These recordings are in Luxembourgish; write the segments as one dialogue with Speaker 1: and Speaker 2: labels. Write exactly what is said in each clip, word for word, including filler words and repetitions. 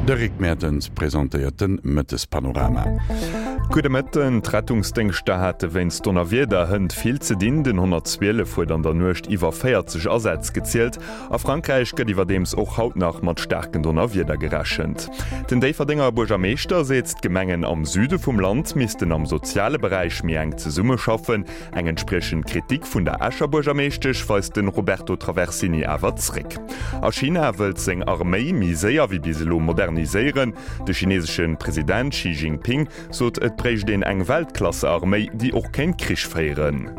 Speaker 1: De Rick Mertens presentéiert de Mëttespanorama.
Speaker 2: Gudde Mëtten. D'Rettungsdéngschter hate wéinst Donnerwieder hënt vill ze dinn. Den honnertzwielef huet an der Nuecht iwwer véierzeg Asätz gezielt. A Frankräich gëtt iwwerdeems och haut nach mat staarken Donnerwieder gerechent. Den Déifferdenger Buergermeeschter seet, d'Gemengen am Süde vum Land missten am soziale Beräich méi enk zesummeschaffen. Eng entspriechend Kritik vun der Escher Buergermeeschtesch weist de Roberto Traversini awer zréck. A China wëllt seng Arméi méi séier wéi bis elo moderniséieren. De chinesesche President Xi Jinping sot, et bréicht een eng Weltklasse-Arméi, déi och kéint Krich féieren.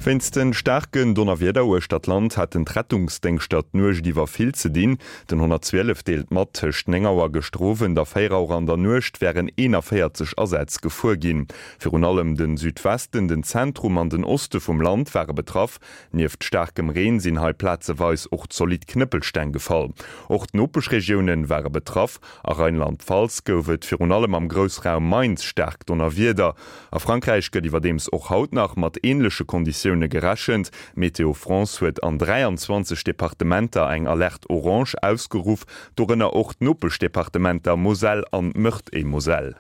Speaker 2: Wéinst de staarken Donnerwieder uechter d'Land haten d'Rettungsdéngschter d'Nuecht iwwer vill ze dinn. Den honnertzwielef deelt mat, tëscht néng Auer gëschter Owend a véier Auer an der Nuecht wären eenanvéierzeg Asätz gefuer ginn. Virun allem de Südwesten, den Zentrum an den Oste vum Land ware betraff. Nieft staarkem Reen sinn hei plazeweis och zolidd Knëppelsteng gefall. Och d'Nopeschregioune ware betraff. A Rheinland-Pfalz gouf et virun allem am Groussraum Mainz staark Donnerwieder. A Frankräich gëtt iwwerdeems och haut nach mat änleche Konditioune gerechent. Météo France huet an dräianzwanzeg Departementer eng Alerte orange ausgeruff, dorënner och d'Nopeschdepartementer Moselle an Meurthe-et-Moselle.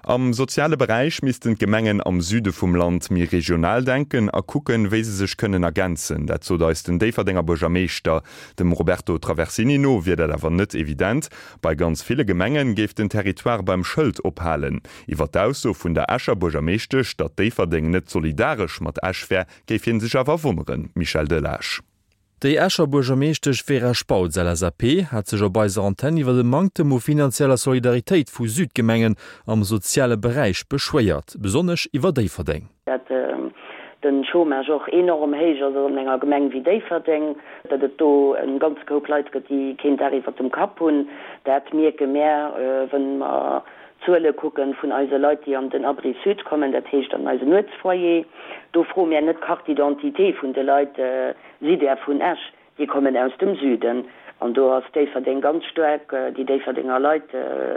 Speaker 2: Am soziale Beräich missten d'Gemengen am Süde vum Land méi regional denken a kucken, wéi se sech kënnen ergänzen. Dat sot eis den Déifferdenger Buergermeeschter. Dem Roberto Traversini no wier dat awer net evident. Bei ganz ville Gemenge géif den Territoire beim Schëld ophalen. Iwwer d'Ausso vun der Escher Buergermeeschtesch, datt Déifferdeng net solidaresch mat Esch wär, géif hie sech awer wonneren. Michel Delage.
Speaker 3: Déi Escher Buergermeeschtesch Vera Spautz, L S A P, hat sech op eiser Antenn iwwer de Manktem u finanzieller Solidaritéit vu Südgemengen am soziale Beräich beschwéiert, besonnesch iwwer Déifferdeng.
Speaker 4: Dat de Chômage och enorm héich ass an enger Gemeng wéi Déifferdeng, datt et do e ganze Koup Leit gëtt, déi keen Daach iwwer dem Kapp hunn, dat mierke mär, wa mer d'Zuele kucken vun eise Leit, déi an den Abri Sud kommen, dat heescht an eisen Nuetsfoyer. Do froe mär net d'Carte d'identité vun de Leit, Sidd Där vun Esch? Déi kommen aus dem Süden. An do ass Déifferdeng ganz staark, déi Déifferdenger Leit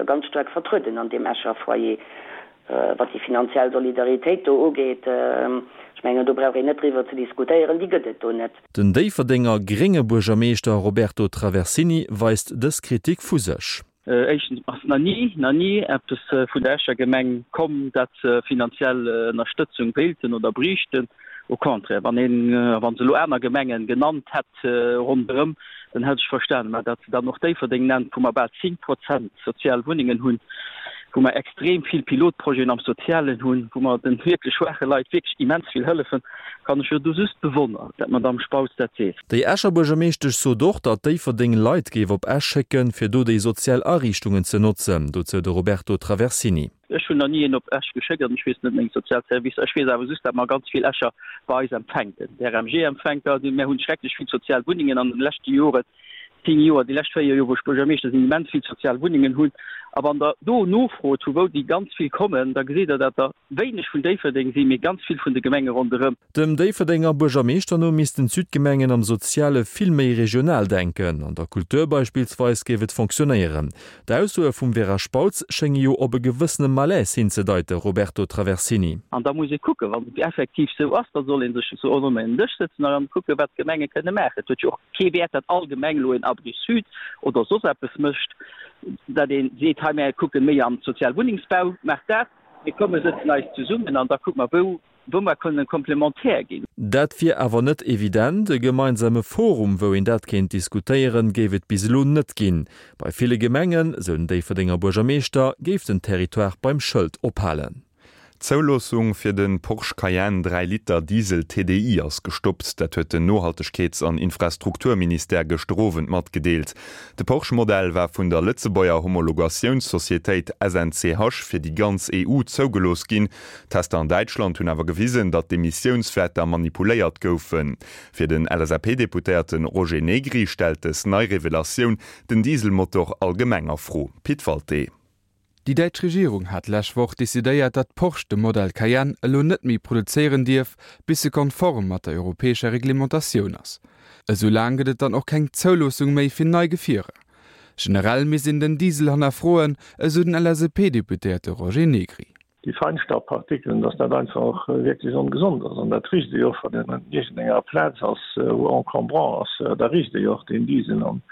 Speaker 4: ganz staark vertrueden an deem Escher Foyer. Wat déi finanziell Solidaritéit do ugeet, ech mengen, do brauch een net driwwer ze diskutéieren, déi gëtt et do net.
Speaker 3: Den Déifferdenger grénge Buergermeeschter Roberto Traversini weist dës Kritik vu sech.
Speaker 5: Éischtens ass nach ni, nach ni eppes vun der Escher Gemeng komm, dat se finanziell Ënnerstëtzung wéilten oder bräichten. Au contraire, wann een, wa se elo aner Gemengen genannt hätt ronderëm, dann hätt ech verstanen. Mä datt se dann och Déifferdeng nennt, wou mer bal zéng Prozent sozial Wunnengen hunn, wou mer extrem vill Pilotprojeten am Sozialen hunn, wou mer de wierklech schwaache Leit wierklech immens vill hëllefen, kann ech jo do just bewonneren, dat d'Madame Spautz dat seet.
Speaker 3: Déi Escher Buergermeeschtesch sot och, datt Déifferdeng Leit géif op Esch schécken, fir do déi sozial Ariichtungen ze notzen. Dozou de Roberto Traversini.
Speaker 5: Ech hunn nach ni een op Esch geschéckt an ech weess net meng sozial Servicer. Ech weess awer just, datt mer ganz vill Escher bei eis empfänken. De R M G empfänkt der. Mir hunn schrecklech vill sozial Wunnengen an den leschte Joren, zéng Joer, déi lescht véier Joer, wou ech Buergermeeschter sinn, immens vill sozial Wunnengen hunn. A wann Der do nofrot, vu wou déi ganz vill kommen, da gesitt Der, datt der wéineg vun Déifferdeng sinn, mee ganz vill vun de Gemenge ronderëm.
Speaker 3: Dem Déifferdenger Buergermeeschter no missten d'Südgemengen am Soziale vill méi regional denken. An der Kultur beispillsweis géif et fonctionnéieren. D'Aussoe vum Vera Spautz schénge jo op e gewëssene Malaise hinzedeiten, Roberto Traversini.
Speaker 5: An da muss ee kucken, wann et effektiv esou ass, da soll ee sech esou ronderëm en Dësch sëtzen a dann kucken, wat d'Gemenge kënne maachen. Et huet jo och kee Wäert, datt all Gemeng elo en Abri Sud oder soss eppes mécht, datt ee seet, hei mär kucke méi am Sozialwunnengsbau, maacht dat, mir komme sëtzen eis zesummen an da kucke mer, wou wou mer kënnen komplementär ginn.
Speaker 3: Dat wier awer net evident. E gemeinsame Forum, wou een dat kéint diskutéieren, géif et bis elo net ginn. Bei ville Gemengen, sou den Déifferdenger Buergermeeschter, géif den Territoire beim Schëld ophalen.
Speaker 2: D'Zouloossung fir de Porsche Cayenne dräi Liter Diesel T D I ass gestoppt. Dat huet den Nohaltegkeets an Infrastrukturministère gëschter Owend matgedeelt. De Porsche-Modell war vun der Lëtzebuerger Homologatiounssocietéit S N C H fir déi ganz E U zougelooss ginn. Tester an Däitschland hunn awer gewisen, datt d'Emissiounswäerter manipuléiert goufen. Fir den L S A P-Deputéierte Roger Negri stellt dës nei Revelatioun den Dieselmotor allgemeng a Fro. Pit Walté.
Speaker 6: Déi däitsch Regierung hat lescht Woch decidéiert, datt Porsche de Modell Cayenne elo net méi produzéieren dierf, bis e konform mat der europäescher Reglementatioun ass. Esou laang gëtt et dann och keng Zouloossung méi fir nei Gefierer. Generell misst een den Diesel hannerfroen, esou den L S A P-Deputéierte Roger Negri.
Speaker 7: Déi Feinstaubpartikelen, dass dat einfach wierklech ongesond ass an dat richt ee jo och, wann een an iergendenger Plaz ass, wou encombrant ass, da richt ee jo och deen Diesel an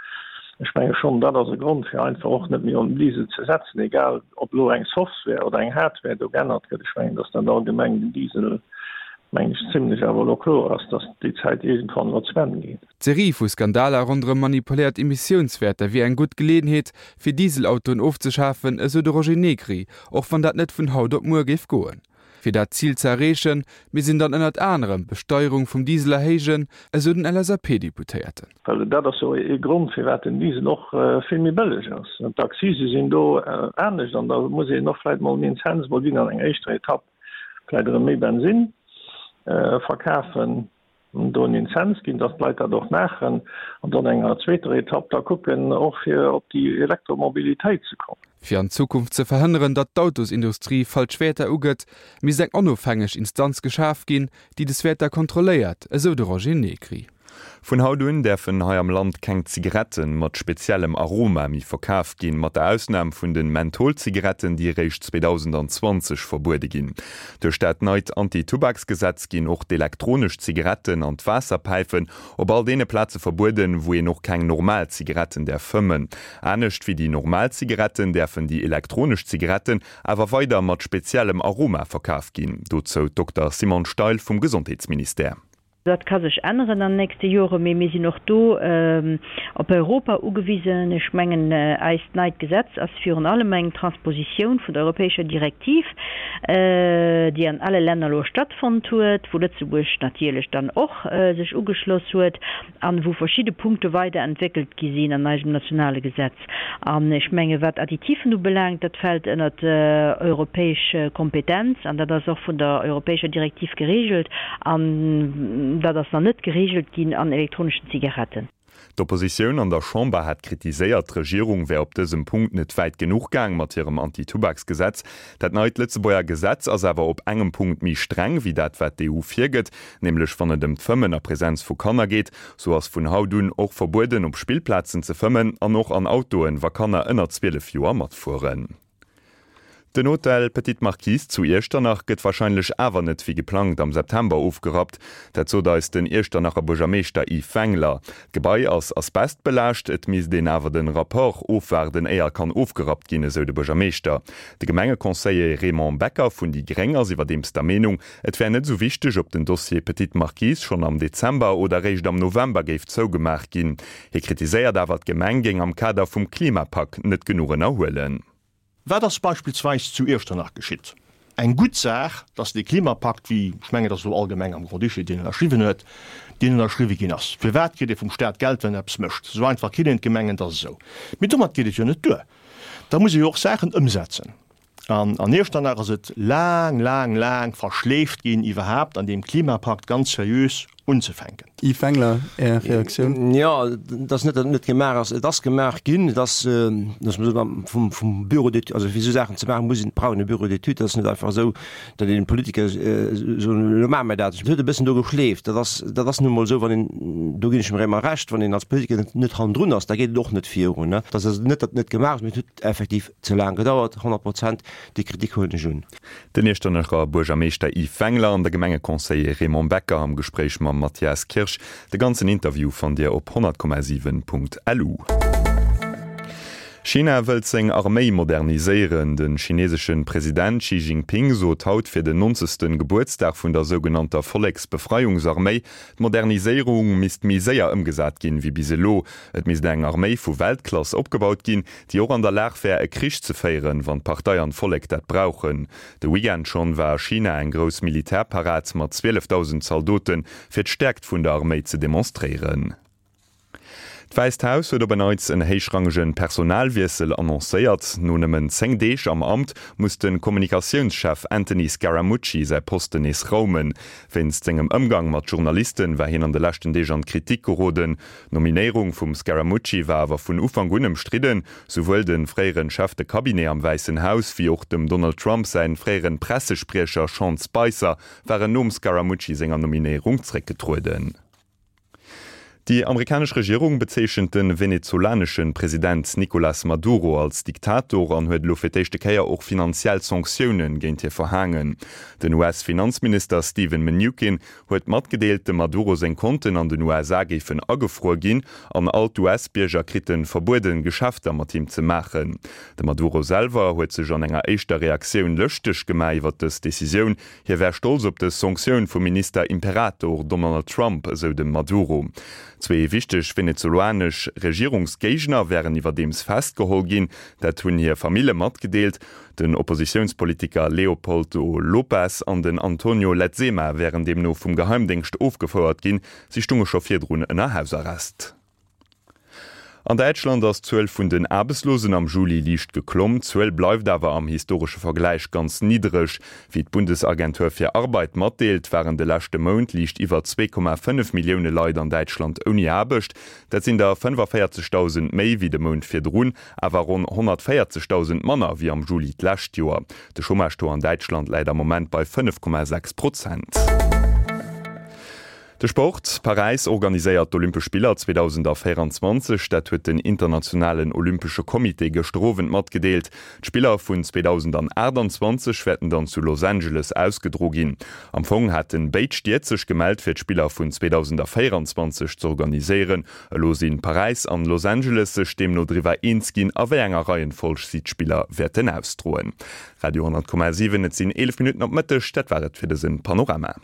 Speaker 7: Ech menge schonn, dat ass e Grond, fir einfach och net méi op den Diesel ze setzen, egal ob elo eng Software oder eng Hardware do geännert gëtt. Ech mengen, dass dat allgemeng den Diesel, mengen ech, zimlech awer elo kloer ass, dass déi Zäit iergendwann elo zu Enn geet.
Speaker 6: D'Serie vu Skandaler ronderëm manipuléiert Emissiounswäerter wier eng gutt Geleeënheet, fir Dieselautoen ofzeschafen, esou de Roger Negri, och wann dat net vun haut op muer géif goen. Fir dat Zil ze erreechen, misst een dann ënnert anerem d'Besteierung vum Diesel erhéijen, esou den LSAP-Deputéierten.
Speaker 7: Well dat ass jo ee Grond, firwat den Diesel och vill méi bëlleg ass. D'Accise sinn do anescht an da muss een och vläicht mol en Inzens mol ginn an enger éischter Etapp vläicht erëm méi Bensinn verkafen. do en Inzens ginn, dass d'Leit dat och maachen, an dann enger zweeter Etapp da kucken, och fir op déi Elektromobilitéit ze kommen.
Speaker 6: Fir an Zukunft ze verhënneren, datt d'Autosindustrie falsch Wäerter ugëtt, misst eng onofhängeg Instanz geschaf ginn, déi des Wäerter kontrolléiert, esou de Roger Negri.
Speaker 2: Vun haut un däerfen hei am Land keng Zigaretten mat speziellem Aroma méi verkaf ginn, mat der Ausnam vun den Mentholzigaretten, déi eréischt zweedausendanzwanzeg verbuede ginn. Duerch dat neit Anti-Tubaksgesetz ginn och d'elektronesch Zigaretten an d'Waasserpäifen op all deene Plaze verbueden, wou een och keng normal Zigaretten däerf fëmmen. Anescht wéi déi normal Zigaretten däerfen déi elektronesch Zigaretten awer weider mat speziellem Aroma verkaf ginn. Dozou d'Dokter Simone Steil vum Gesondheetsministère.
Speaker 8: Dat ka sech änneren an den nächste Joren, mee mir sinn och do op Europa ugewisen. Ech mengen, eist neit Gesetz ass virun allem eng Transpositioun vun der europäescher Direktiv, déi an alle Länner elo stattfonnt huet, wou Lëtzebuerg natierlech dann och sech ugeschloss huet an wou verschidde Punkte weiderentwéckelt gi sinn an eisem nationale Gesetz. An ech menge wat Additifen ubelaangt, dat fält ënnert europäesch Kompetenz an dat ass och vun der europäescher Direktiv geregelt an dat ass nach net geregelt ginn an elektroneschen Zigaretten.
Speaker 2: D'Oppositioun an der Chamber hat kritiséiert, d'Regierung wär op dësem Punkt net wäit genuch gaang mat hirem Anti-Tubaksgesetz. Dat neit Lëtzebuerger Gesetz ass awer op engem Punkt méi streng wéi dat wat d'EU virgëtt, nämlech wann et ëm d'Fëmmen a Presenz vu Kanner geet. Sou ass vun haut un och verbueden op Spillplazen ze fëmmen an och an Autoen, wa Kanner ënner zwielef Joer matfueren. Den Hotel Petite Marquise zu Iechternach gëtt warscheinlech awer net wéi geplangt am September ofgerappt. Dat sot eis den Iechternacher Buergermeeschter Yves Wengler. D'Gebai ass asbestbelaascht, et misst een awer den Rapport ofwaarden éier kann ofgerappt ginn, esou de Buergermeeschter. De Gemengeconseiller Raymond Becker vun déi gréng ass iwwerdeems der Meenung, et wär net esou wichteg, ob den Dossier Petite Marquise schonn am Dezember oder réischt am November géif zougemaach ginn. Hie kritiséiert awer, d'Gemeng géing am Kader vum Klimapak net genuch ënnerhuelen.
Speaker 9: Wat ass beispillsweis zu Iechternach geschitt? Eng gutt Saach, dass dee Klimapakt, wéi, ech mengen, et ass elo allgemeng am Grand-Duché, deen ënnerschriwwen huet, deen ënnerschriwwe ginn ass. Firwat kritt ee vum Stat Geld, wann en eppes mécht? Esou einfach kritt een d'Gemengen, dat ass esou. Mee domat geet et jo net duer. Da muss ee jo och Saachen ëmsetzen. An an Iechternach ass et laang, laang, laang verschleeft ginn, iwwerhaapt an deem Klimapakt ganz seriös unzefänken.
Speaker 10: Yves Wengler, Är Reaktioun?
Speaker 11: Jo, et ass net, datt et net gemaach ass. Et ass gemaach ginn. Et ass, dass mer vum, vum Bureau d'études, also fir esou Saachen ze maachen, muss een, brauch een e Bureau d'études. Dat ass net einfach esou, datt een Politiker soen, elo maache mer dat. Et huet e bëssen do geschleeft. Dat ass, dat ass nu emol esou, wann een, do ginn ech dem Raymond Recht, wann een als Politiker net, net hannendrun ass, da geet et och net virun. Et ass also net, datt et net gemaach ass, mee et huet effektiv ze laang gedauert, honnert Prozent. Déi Kritik huelen ech un.
Speaker 2: Den Iechternacher Buergermeeschter Yves Wengler an de Gemengeconseiller Raymond Becker am Gespréich mam Mathias Kirsch. De ganzen Interview fannt Dir op honnert Komma siwen Punkt lu. China wëllt seng Arméi moderniséieren. De chinesesche President Xi Jinping sot haut fir den nonzegste Gebuertsdag vun der sougenannter Volleksbefreiungsarméi, d'Moderniséierung misst méi séier ëmgesat ginn, wéi bis elo. Et misst eng Arméi vu Weltklass opgebaut ginn, déi och an der Lag wär, e Krich ze féieren, wann d'Partei an d'Vollek dat brauchen. De Weekend schonn war a China eng grouss Militärparad mat zwielefdausend Zaldoten, fir d'Stäerkt vun der Arméi ze demonstréieren. D'Wäisst Haus huet op en Neits en héichrangege Personalwiessel annoncéiert. No nëmmen zéng Deeg am Amt muss de Kommunikatiounschef Anthony Scaramucci säi Posten nees raumen. Wéinst sengem Ëmgang mat Journalisten war hien an de leschten Deeg an d'Kritik geroden. D'Nominéierung vum Scaramucci war awer vun Ufank un ëmstridden. Souwuel de fréiere Chef de Cabinet am Wäissen Haus wéi och dem Donald Trump säin fréiere Pressespriecher Sean Spicer waren nom Scaramucci senger Nominéierung zréckgetrueden. Déi amerikanesch Regierung bezeechent de venezolanesche President Nicolas Maduro als Diktator an huet elo fir d'éischte Kéier och finanziell Sanktioune géint hie verhaangen. Den U S-Finanzminister Steven Mnuchin huet matgedeelt, dem Maduro seng Konten an den U S A géifen agefruer ginn an all d'U S-Bierger krite verbueden, Geschäfter mat him ze maachen. De Maduro selwer huet sech an enger éischter Reaktioun lëschteg gemaach iwwer dës Decisioun. Hie wär stolz op dës Sanktioun vum Minister Imperator Donald Trump, esou de Maduro. Zwee wichteg venezolanesch Regierungsgéigner wären iwwerdeems festgeholl ginn, dat hunn hir Famille matgedeelt. Den Oppositiounspolitiker Leopoldo López an den Antonio Ledezma wären deemno vum Geheimdéngscht ofgefouert ginn, si stounge scho virdrun ënner Hausarrest. An Däitschland ass d'Zuel vun den Aarbechtslosen am Juli liicht geklomm. D'Zuel bleift awer am historesche Vergläich ganz niddreg. Wéi d'Bundesagentur fir Arbeit matdeelt, waren de leschte Mount liicht iwwer zwee Komma fënnef Millioune Leit an Däitschland ouni Aarbecht. Dat sinn der fënnefavéierzegdausend méi wéi de Mount virdrun, awer ronn honnertvéierzegdausend manner wéi am Juli d'lescht Joer. De Chômage-Taux an Däitschland läit am Moment bei fënnef Komma sechs Prozent. De Sport, Paräis organiséiert d'Olympesch Spiller zweedausendvéierenzwanzeg, dat huet den internationalen Olympesche Comité gëschter Owend matgedeelt. D'Spiller vun zweedausendaachtenzwanzeg wäerten dann zu Los Angeles ausgedro ginn. Am Fong hate béid Stied sech gemellt fir d'Spiller vun zweedausendvéierenzwanzeg z'organiséieren. Elo si Paräis an Los Angeles sech deemno driwwer eens ginn, a wéi enger Reihenfolg si d'Spiller wäerten ausdroen. Radio honnert Komma siwen, Et sinn eelef Minutten op Mëtteg, dat war et fir dëse Panorama.